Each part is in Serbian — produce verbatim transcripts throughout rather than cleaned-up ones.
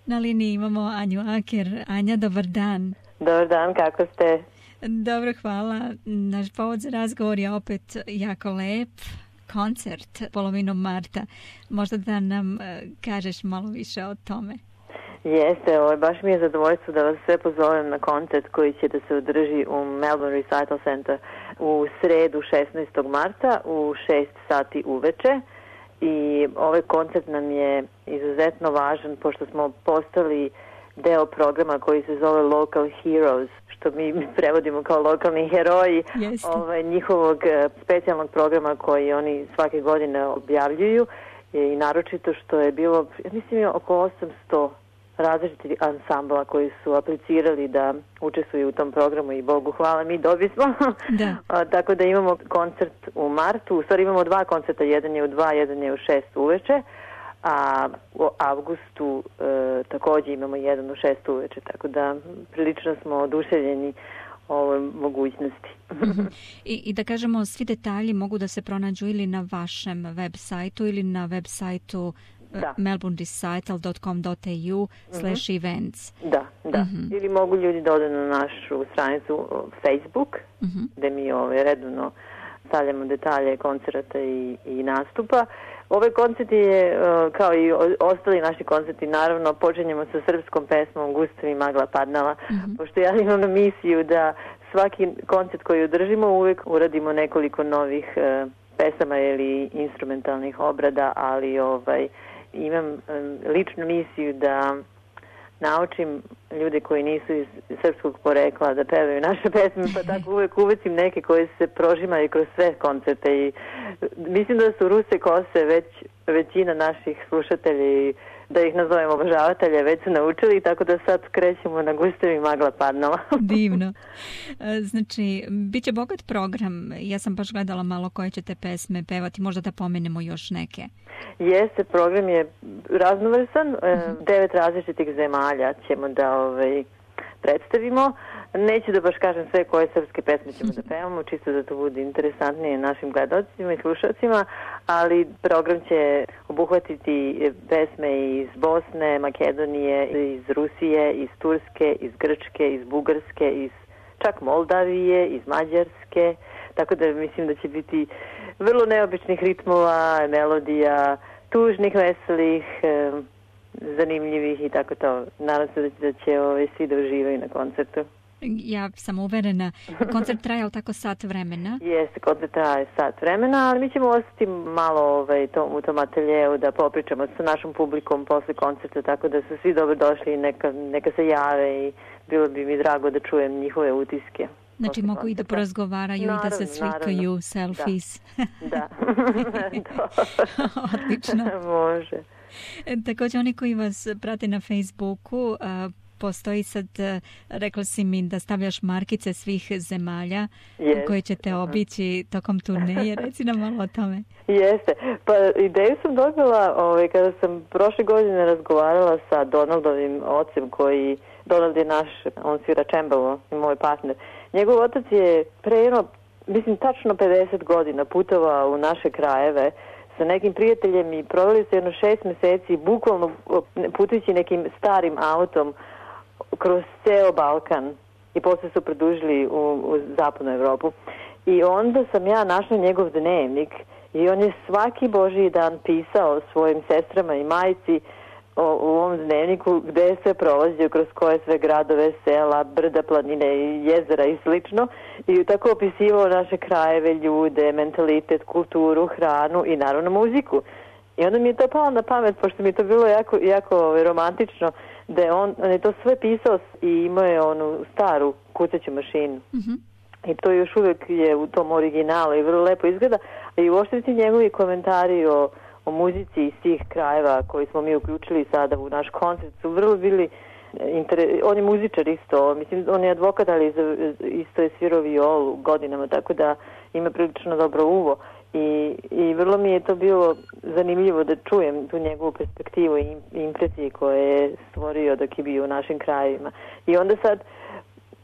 Na liniji imamo Anju Aker. Anja, dobar dan. Dobar dan, kako ste? Dobro, hvala. Naš povod za razgovor je opet jako lep. Koncert polovinom marta. Možda da nam uh, kažeš malo više o tome. Jeste, ovo, baš mi je zadovoljstvo da vas sve pozovem na koncert koji će da se održi u Melbourne Recital Center u sredu šesnaestog marta u šest sati uveče. I ovaj koncert nam je izuzetno važan pošto smo postali deo programa koji se zove Local Heroes, što mi prevodimo kao lokalni heroji ovaj, njihovog specijalnog programa koji oni svake godine objavljuju i naročito što je bilo, ja mislim, oko osamsto različitih ansambla koji su aplicirali da učestvuju u tom programu i Bogu hvala, mi dobismo. Da. A, tako da imamo koncert u martu, u stvari imamo dva koncerta, jedan je u dva, jedan je u šest uveče, a u avgustu e, također imamo jedan u šest uveče, tako da prilično smo oduševljeni ovoj mogućnosti. I, I da kažemo, svi detalji mogu da se pronađu ili na vašem web sajtu ili na web sajtu melbourne recital dot com dot a u slash events. Da, da. Mm-hmm. Ili mogu ljudi da ode na našu stranicu Facebook, mm-hmm. gde mi ove, redovno stavljamo detalje koncerta i, i nastupa. Ovaj koncert je, kao i ostali naši koncerti, naravno, počinjemo sa srpskom pesmom Gustav i magla padnala, mm-hmm. pošto ja imam misiju da svaki koncert koji održimo uvek uradimo nekoliko novih uh, pesama ili instrumentalnih obrada, ali ovaj imam um, ličnu misiju da naučim ljude koji nisu iz srpskog porekla da pevaju naše pesme, pa tako uvek uvecim neke koje se prožimaju kroz sve koncerte i mislim da su Ruse Kose već većina naših slušatelja i da ih nazovemo obožavatelja već su naučili, tako da sad krećemo na Gustav i magla padnala. Divno. Znači, bit će bogat program. Ja sam baš gledala malo koje ćete pesme pevati, možda da pomenemo još neke. Jeste, program je raznovrsan, uh-huh. devet različitih zemalja ćemo da ovaj, predstavimo. Neću da baš kažem sve koje srpske pesme ćemo da pevamo, čisto da to bude interesantnije našim gledalcima i slušalcima, ali program će obuhvatiti pesme iz Bosne, Makedonije, iz Rusije, iz Turske, iz Grčke, iz Bugarske, iz čak Moldavije, iz Mađarske, tako da mislim da će biti vrlo neobičnih ritmova, melodija, tužnih, veselih, zanimljivih i tako to. Nadam se da će ove, svi da uživaju na koncertu. Ja sam uverena. Koncert traje tako sat vremena? Jeste, koncert traje sat vremena, ali mi ćemo ostati malo ovaj, tom, u tom ateljeu da popričamo sa našom publikom posle koncerta, tako da su svi dobro došli i neka, neka se jave i bilo bi mi drago da čujem njihove utiske. Znači mogu koncerta. I da porazgovaraju naravno, i da se slikaju, naravno. Selfies. Da. da. Odlično. Može. Također oni koji vas prate na Facebooku, a, postoji sad, rekla si mi da stavljaš markice svih zemalja yes. koje ćete obići tokom turneje. Reci nam malo o tome. Jeste. Pa ideju sam dobila ovaj, kada sam prošle godine razgovarala sa Donaldovim ocem koji, Donald je naš, on svira čembalo i moj partner. Njegov otac je pre jedno, mislim tačno pedeset godina putovao u naše krajeve sa nekim prijateljem i proveli se jedno šest meseci bukvalno putujući nekim starim autom kroz ceo Balkan i posle su produžili u, u zapadnu Evropu. I onda sam ja našla njegov dnevnik i on je svaki božji dan pisao svojim sestrama i majci o, u ovom dnevniku gde je sve prolazio, kroz koje sve gradove, sela, brda, planine, jezera i slično. I tako opisivao naše krajeve, ljude, mentalitet, kulturu, hranu i naravno muziku. I onda mi je to palo na pamet, pošto mi je to bilo jako, jako romantično, da je on, on je to sve pisao i imao je onu staru kucaću mašinu. Mm-hmm. I to još uvijek je u tom originalu i vrlo lepo izgleda. I uopšte ti njegovi komentari o, o muzici iz tih krajeva koji smo mi uključili sada u naš koncert su vrlo bili inter... on je muzičar isto, mislim on je advokat, ali isto je svirao violu godinama, tako da ima prilično dobro uvo. I, i vrlo mi je to bilo zanimljivo da čujem tu njegovu perspektivu i impresije koje je stvorio dok je bio u našim krajevima. I onda sad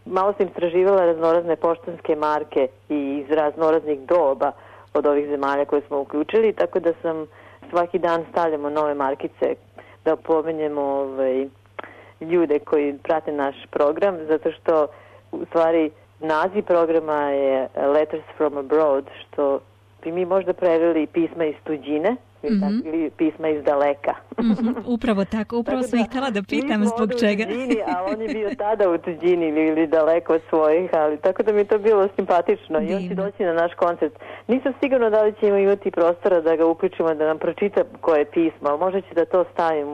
malo sam istraživala raznorazne poštanske marke i iz raznoraznih doba od ovih zemalja koje smo uključili, tako da sam svaki dan stavljamo nove markice da pomenjemo ovaj, ljude koji prate naš program, zato što u stvari naziv programa je Letters from Abroad, što bi mi možda preveli pisma iz tuđine, mm-hmm. ili pisma iz daleka. Mm-hmm. Upravo tako, upravo sam ih htjela da pitam zbog čega. Mi smo u tuđini, a on je bio tada u tuđini ili, ili daleko od svojih, ali tako da mi je to bilo simpatično. Divno. I on će doći na naš koncert. Nisam sigurna da li ćemo imati prostora da ga uključimo, da nam pročita koje pismo, ali možda će da to stavim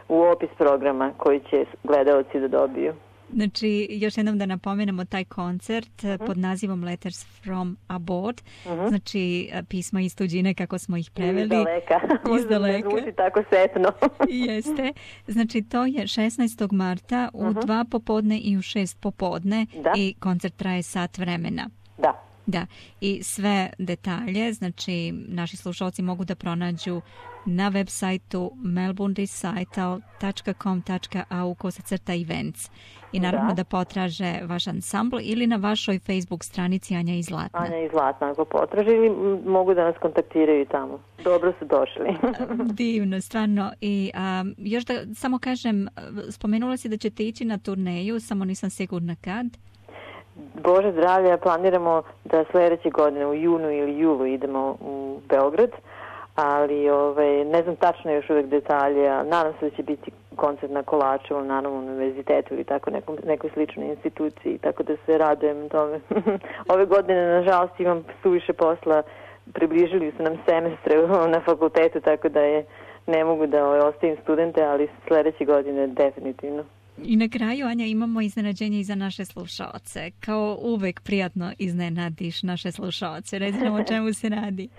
u opis programa koji će gledaoci da dobiju. Znači, još jednom da napomenemo taj koncert uh-huh. pod nazivom Letters from Abroad, uh-huh. znači pisma iz tuđine kako smo ih preveli. Iz daleka. Iz daleka. Zvuči tako setno. Jeste. Znači, to je šesnaestog marta u uh-huh. dva popodne i u šest popodne da. I koncert traje sat vremena. Da. Da, i sve detalje, znači naši slušalci mogu da pronađu na web sajtu melbourne recital dot com dot a u kosacrta events i naravno da. da potraže vaš ansambl ili na vašoj Facebook stranici Anja i Zlatna. Anja i Zlatna ako potraže ili mogu da nas kontaktiraju tamo. Dobro su došli. Divno, stvarno. I a, još da samo kažem, spomenula si da ćete ići na turneju, samo nisam sigurna kad. Bože zdravlja, planiramo da sljedeće godine u junu ili julu idemo u Beograd, ali ovaj, ne znam tačno još uvijek detalje, a nadam se da će biti koncert na Kolačevom, naravno univerzitetu ili tako nekom, nekoj sličnoj instituciji, tako da se radujem tome. Ove godine, nažalost, imam suviše posla, približili su nam semestre na fakultetu, tako da je ne mogu da ovaj, ostavim studente, ali sljedeće godine definitivno. I na kraju, Anja, imamo iznenađenje i za naše slušaoce. Kao uvek prijatno iznenadiš naše slušaoce. Reci nam o čemu se radi.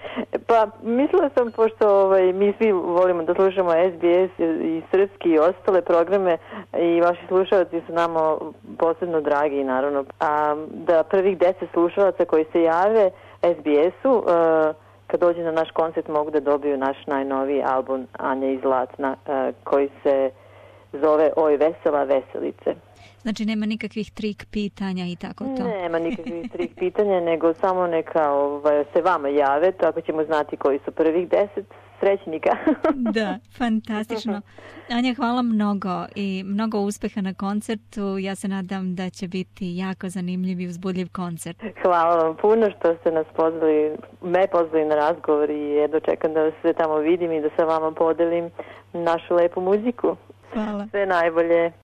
Pa, mislila sam, pošto ovaj, mi svi volimo da slušamo S B S i srpski i ostale programe i vaši slušaoci su nama posebno dragi, naravno. A da prvih deset slušalaca koji se jave S B S-u, uh, kad dođe na naš koncert mogu da dobiju naš najnoviji album Anja i Zlatna, uh, koji se zove Oj vesela veselice. Znači nema nikakvih trik pitanja i tako to? Nema nikakvih trik pitanja, nego samo neka ovaj, se vama jave, tako ćemo znati koji su prvih deset srećnika. Da, fantastično. Anja, hvala mnogo i mnogo uspeha na koncertu. Ja se nadam da će biti jako zanimljiv i uzbudljiv koncert. Hvala vam puno što ste nas pozvali, me pozvali na razgovor i jedno čekam da se tamo vidim i da sa vama podelim našu lepu muziku. Hvala. Sve najbolje.